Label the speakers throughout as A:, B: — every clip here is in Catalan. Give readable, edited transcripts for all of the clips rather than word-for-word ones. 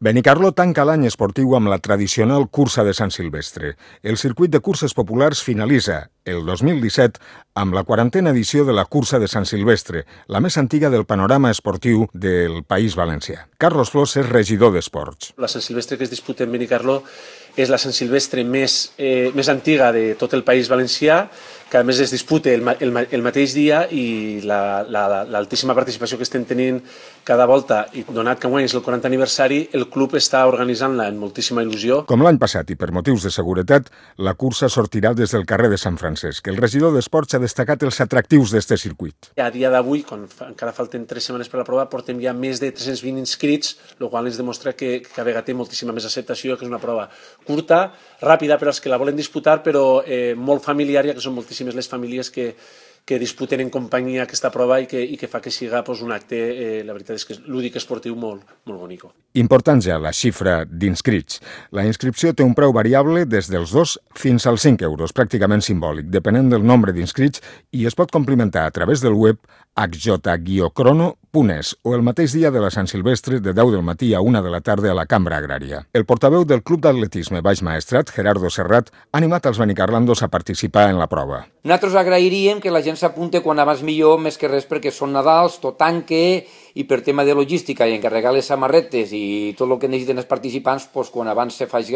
A: Benicarló tanca l'any esportiu amb la tradicional cursa de Sant Silvestre. El circuit de curses populars finalitza el 2017 amb la 40a edició de la cursa de Sant Silvestre, la més antiga del panorama esportiu del País Valencià. Carlos Flors és regidor d'Esports.
B: La Sant Silvestre que es disputa en Benicarló és la Sant Silvestre més antiga de tot el País Valencià, que a més es disputa el mateix dia, i l'altíssima participació que estem tenint cada volta, i donat que enguany és el 40 aniversari, el club està organitzant-la amb moltíssima il·lusió.
A: Com l'any passat i per motius de seguretat, la cursa sortirà des del carrer de Sant Francesc. El regidor d'Esports ha destacat els atractius d'este circuit.
B: A dia d'avui, quan encara falten 3 setmanes per la prova, portem ja més de 320 inscrits, el qual ens demostra que cada vegada té moltíssima més acceptació, que és una prova curta, ràpida per als que la volen disputar, però molt familiar, ja que són moltíssimes les famílies que disputen en companyia aquesta prova i que fa que siga un acte, la veritat és que és lúdic esportiu molt bonic.
A: Important ja la xifra d'inscrits. La inscripció té un preu variable des dels 2 fins als 5 euros, pràcticament simbòlic, depenent del nombre d'inscrits, i es pot complimentar a través del web hj-crono.es o el mateix dia de la Sant Silvestre de 10 del matí a 1 de la tarda a la Cambra Agrària. El portaveu del Club d'Atletisme Baix Maestrat, Gerardo Serrat, ha animat els benicarlandos a participar en la prova.
C: Nosaltres agrairíem que la gent s'apunte quan abans millor, més que res perquè són Nadals, tot tanque, i per tema de logística i encarregar les samarretes i tot el que necessiten els participants, quan abans se faci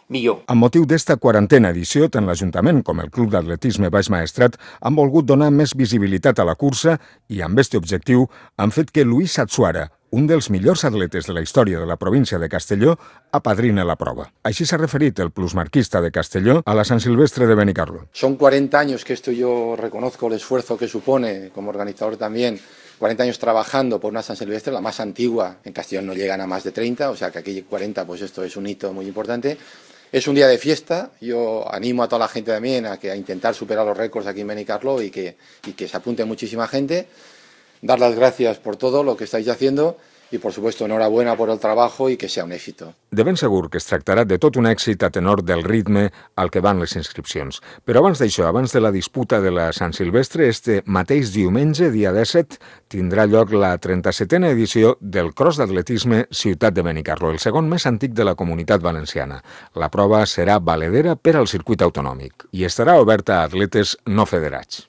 C: millor.
A: Amb motiu d'esta 40a edició, tant l'Ajuntament com el Club d'Atletisme Baix Maestrat han volgut donar més visibilitat a la cursa i amb aquest objectiu han fet que Luis Satsuara, un dels millors atletes de la història de la província de Castelló, apadrina la prova. Així s'ha referit el plusmarquista de Castelló a la Sant Silvestre de Benicarló.
D: Son 40 años que esto yo reconozco el esfuerzo que supone como organizador también. 40 años trabajando por una San Silvestre, la más antigua. En Castellón no llegan a más de 30, o sea que aquí 40, pues esto es un hito muy importante. Es un día de fiesta, yo animo a toda la gente también a intentar superar los récords aquí en Benicarló y que se apunte muchísima gente. Dar las gracias por todo lo que estáis haciendo i, por supuesto, enhorabuena por el trabajo i que sea un éxito.
A: De ben segur que es tractarà de tot un èxit a tenor del ritme al que van les inscripcions. Però abans d'això, abans de la disputa de la Sant Silvestre, este mateix diumenge, dia 17, tindrà lloc la 37a edició del Cross d'Atletisme Ciutat de Benicarló, el segon més antic de la Comunitat Valenciana. La prova serà valedera per al circuit autonòmic i estarà oberta a atletes no federats.